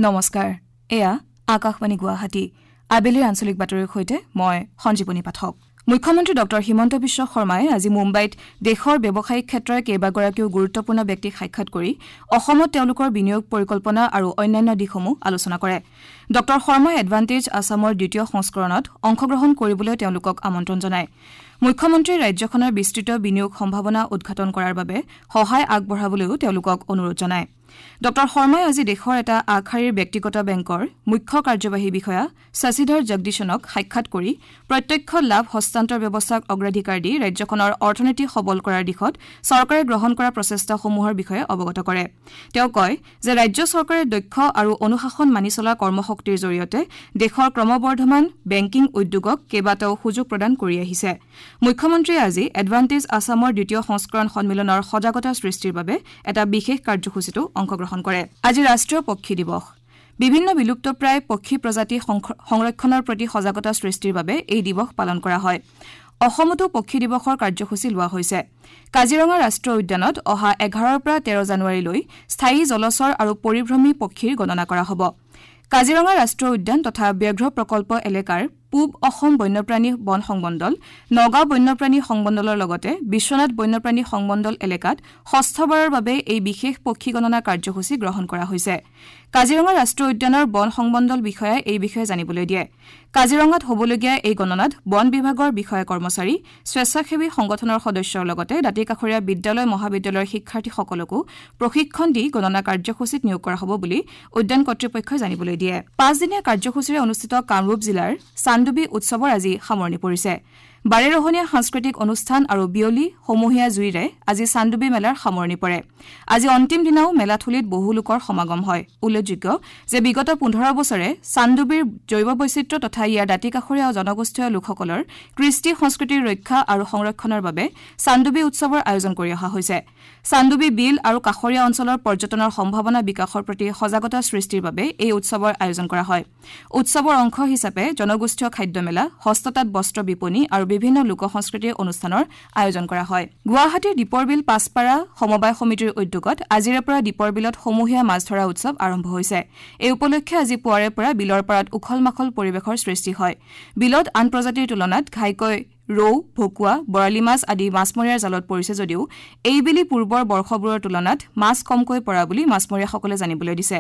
নমস্কাৰ, এয়া আকাশবাণী গুৱাহাটী। আবেলিৰ আঞ্চলিক বাতৰিৰ সৈতে মই সঞ্জীৱনী পাঠক। মুখ্যমন্ত্ৰী ডঃ হিমন্ত বিশ্ব শৰ্মাই আজি মুম্বাইত দেশৰ ব্যৱসায়িক ক্ষেত্ৰৰ কেইবাগৰাকীও গুৰুত্বপূৰ্ণ ব্যক্তিক সাক্ষাৎ কৰি অসমত তেওঁলোকৰ বিনিয়োগ পৰিকল্পনা আৰু অন্যান্য দিশসমূহ আলোচনা কৰে। ডঃ শৰ্মাই এডভান্টেজ আছামৰ দ্বিতীয় সংস্কৰণত অংশগ্ৰহণ কৰিবলৈ তেওঁলোকক আমন্ত্ৰণ জনায়। মুখ্যমন্ত্ৰীয়ে ৰাজ্যখনৰ বিস্তৃত বিনিয়োগ সম্ভাৱনা উদ্ঘাটন কৰাৰ বাবে সহায় আগবঢ়াবলৈও তেওঁলোকক অনুৰোধ জনায়। ডঃ শৰ্মাই আজি দেশৰ এটা আগশাৰীৰ ব্যক্তিগত বেংকৰ মুখ্য কাৰ্যবাহী বিষয়া শশীধৰ জগদীশনক সাক্ষাৎ কৰি প্ৰত্যক্ষ লাভ হস্তান্তৰ ব্যৱস্থাক অগ্ৰাধিকাৰ দি ৰাজ্যখনৰ অৰ্থনীতি সবল কৰাৰ দিশত চৰকাৰে গ্ৰহণ কৰা প্ৰচেষ্টাসমূহৰ বিষয়ে অৱগত কৰে। তেওঁ কয় যে ৰাজ্য চৰকাৰে দক্ষ আৰু অনুশাসন মানি চলা কৰ্মশক্তিৰ জৰিয়তে দেশৰ ক্ৰমবৰ্ধমান বেংকিং উদ্যোগক কেইবাটাও সুযোগ প্ৰদান কৰি আহিছে। মুখ্যমন্ত্ৰীয়ে আজি এডভান্টেজ আছামৰ দ্বিতীয় সংস্কৰণ সন্মিলনৰ সজাগতা সৃষ্টিৰ বাবে এটা বিশেষ কাৰ্যসূচীতো অংশগ্ৰহণ কৰে। আজি ৰাষ্ট্ৰীয় পক্ষী দিৱস। বিভিন্ন বিলুপ্তপ্ৰায় পক্ষী প্ৰজাতি সংৰক্ষণৰ প্ৰতি সজাগতা সৃষ্টিৰ বাবে এই দিৱস পালন কৰা হয়। অসমতো পক্ষী দিৱসৰ কাৰ্যসূচী লোৱা হৈছে। কাজিৰঙা ৰাষ্ট্ৰীয় উদ্যানত অহা ১১ৰ পৰা ১৩ জানুৱাৰীলৈ স্থায়ী জলচৰ আৰু পৰিভ্ৰমী পক্ষীৰ গণনা কৰা হ'ব। কাজিৰঙা ৰাষ্ট্ৰীয় উদ্যান তথা ব্যাঘ্ৰ প্ৰকল্প এলেকাৰ পূব অসম বন্যপ্ৰাণী বন সংমণ্ডল, নগাঁও বন্যপ্ৰাণী সংমণ্ডলৰ লগতে বিশ্বনাথ বন্যপ্ৰাণী সংমণ্ডল এলেকাত ষষ্ঠবাৰৰ বাবে এই বিশেষ পক্ষী গণনা কাৰ্যসূচী গ্ৰহণ কৰা হৈছে। কাজিৰঙা ৰাষ্ট্ৰীয় উদ্যানৰ বন সংমণ্ডল বিষয়াই এই বিষয়ে জানিবলৈ দিয়ে। কাজিৰঙাত হ'বলগীয়া এই গণনাত বন বিভাগৰ বিষয়া কৰ্মচাৰী, স্বেচ্ছাসেৱী সংগঠনৰ সদস্যৰ লগতে দাঁতিকাষৰীয়া বিদ্যালয় মহাবিদ্যালয়ৰ শিক্ষাৰ্থীসকলকো প্ৰশিক্ষণ দি গণনা কাৰ্যসূচীত নিয়োগ কৰা হ'ব বুলি উদ্যান কৰ্তৃপক্ষই জানিবলৈ দিয়ে। পাঁচদিনীয়া কাৰ্যসূচীৰে অনুষ্ঠিত কামৰূপ জিলাৰ চান্দুবি উৎসৱৰ আজি সামৰণি পৰিছে। বাৰেৰহণীয়া সাংস্কৃতিক অনুষ্ঠান আৰু বিয়লি সমূহীয়া জুইৰে আজি চান্দুবি মেলাৰ সামৰণি পৰে। আজি অন্তিম দিনাও মেলাথলীত বহু লোকৰ সমাগম হয়। উল্লেখযোগ্য যে বিগত ১৫ বছৰে চান্দুবিৰ জৈৱ বৈচিত্ৰ্য তথা ইয়াৰ দাঁতিকাষৰীয়া জনগোষ্ঠীয় লোকসকলৰ কৃষ্টি সংস্কৃতিৰ ৰক্ষা আৰু সংৰক্ষণৰ বাবে চান্দুবি উৎসৱৰ আয়োজন কৰি অহা হৈছে। চান্দুবি বিল আৰু কাষৰীয়া অঞ্চলৰ পৰ্যটনৰ সম্ভাৱনা বিকাশৰ প্ৰতি সজাগতা সৃষ্টিৰ বাবে এই উৎসৱৰ আয়োজন কৰা হয়। উৎসৱৰ অংশ হিচাপে জনগোষ্ঠীয় খাদ্য মেলা, হস্ততাঁত বস্ত্ৰ বিপণী আৰু বিভিন্ন লোক সংস্কৃতিৰ অনুষ্ঠানৰ আয়োজন কৰা হয়। গুৱাহাটীৰ দীপৰ বিল পাছপাৰা সমবায় সমিতিৰ উদ্যোগত আজিৰে পৰা দীপৰ বিলত সমূহীয়া মাছ ধৰা উৎসৱ আৰম্ভ হৈছে। এই উপলক্ষে আজি পুৱাৰে পৰা বিলৰ পাৰত উখল মাখল পৰিৱেশৰ সৃষ্টি হয়। বিলত আন প্ৰজাতিৰ তুলনাত ঘাইকৈ ৰৌ, ভকুৱা, বৰালি মাছ আদি মাছমৰীয়াৰ জালত পৰিছে যদিও এইবেলি পূৰ্বৰ বৰ্ষবোৰৰ তুলনাত মাছ কমকৈ পৰা বুলি মাছমৰীয়াসকলে জানিবলৈ দিছে।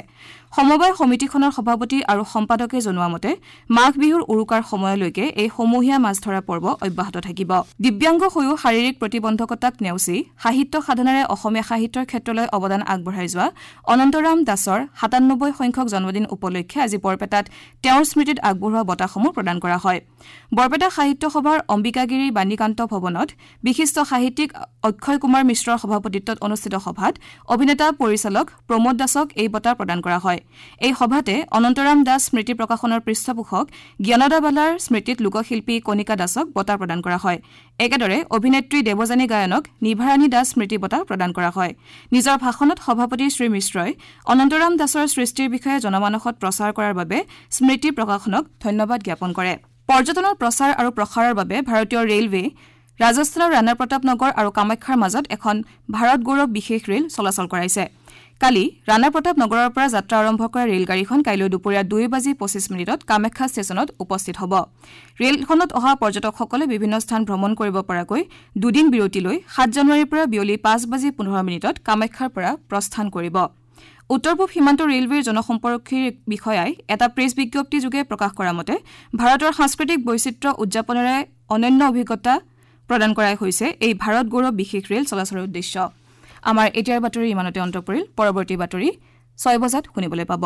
সমবায় সমিতিখনৰ সভাপতি আৰু সম্পাদকে জনোৱা মতে মাঘ বিহুৰ উৰুকাৰ সময়লৈকে এই সমূহীয়া মাছ ধৰা পৰ্ব অব্যাহত থাকিব। দিব্যাংগ হৈও শাৰীৰিক প্ৰতিবন্ধকতাক নেওচি সাহিত্য সাধনাৰে অসমীয়া সাহিত্যৰ ক্ষেত্ৰলৈ অৱদান আগবঢ়াই যোৱা অনন্তৰাম দাসৰ ৯৭ সংখ্যক জন্মদিন উপলক্ষে আজি বৰপেটাত তেওঁৰ স্মৃতিত আগবঢ়োৱা বঁটাসমূহ প্ৰদান কৰা হয়। বৰপেটা সাহিত্য সভাৰ অম্বিকাগিৰি বাণীকান্ত ভৱনত বিশিষ্ট সাহিত্যিক অক্ষয় কুমাৰ মিশ্ৰৰ সভাপতিত্বত অনুষ্ঠিত সভাত অভিনেতা পৰিচালক প্ৰমোদ দাসক এই বঁটা প্ৰদান কৰা হয়। এই সভাতে অনন্তৰাম দাস স্মৃতি প্ৰকাশনৰ পৃষ্ঠপোষক জ্ঞানদা বালাৰ স্মৃতিত লোকশিল্পী কণিকা দাসক বঁটা প্ৰদান কৰা হয়। একেদৰে অভিনেত্ৰী দেৱযানী গায়নক নিভাৰাণী দাস স্মৃতি বঁটা প্ৰদান কৰা হয়। নিজৰ ভাষণত সভাপতি শ্ৰী মিশ্ৰই অনন্তৰাম দাসৰ সৃষ্টিৰ বিষয়ে জনমানসত প্ৰচাৰ কৰাৰ বাবে স্মৃতি প্ৰকাশনক ধন্যবাদ জ্ঞাপন কৰে। পৰ্যটনৰ প্ৰচাৰ আৰু প্ৰসাৰৰ বাবে ভাৰতীয় ৰেলৱে ৰাজস্থানৰ ৰাণা প্ৰতাপ নগৰ আৰু কামাখ্যাৰ মাজত এখন ভাৰত গৌৰৱ বিশেষ ৰেল চলাচল কৰাইছে। কালি ৰাণা প্ৰতাপ নগৰৰ পৰা যাত্ৰা আৰম্ভ কৰা ৰেলগাড়ীখন কাইলৈ দুপৰীয়া ২:২৫ কামাখ্যা ষ্টেচনত উপস্থিত হ'ব। ৰেলখনত অহা পৰ্যটকসকলে বিভিন্ন স্থান ভ্ৰমণ কৰিব পৰাকৈ দুদিন বিৰতি লৈ ৭ জানুৱাৰীৰ পৰা বিয়লি ৫:১৫ কামাখ্যাৰ পৰা প্ৰস্থান কৰিব। উত্তৰ পূব সীমান্ত ৰেলৱেৰ জনসম্পৰ্কীৰ বিষয়াই এটা প্ৰেছ বিজ্ঞপ্তিযোগে প্ৰকাশ কৰা মতে ভাৰতৰ সাংস্কৃতিক বৈচিত্ৰ্য উদযাপনেৰে অনন্য অভিজ্ঞতা প্ৰদান কৰাই হৈছে এই ভাৰত গৌৰৱ বিশেষ ৰেল চলাচলৰ উদ্দেশ্য। আমাৰ এতিয়াৰ বাতৰি ইমানতে অন্ত পৰিল। পৰৱৰ্তী বাতৰি ৬ বজাত শুনিবলৈ পাব।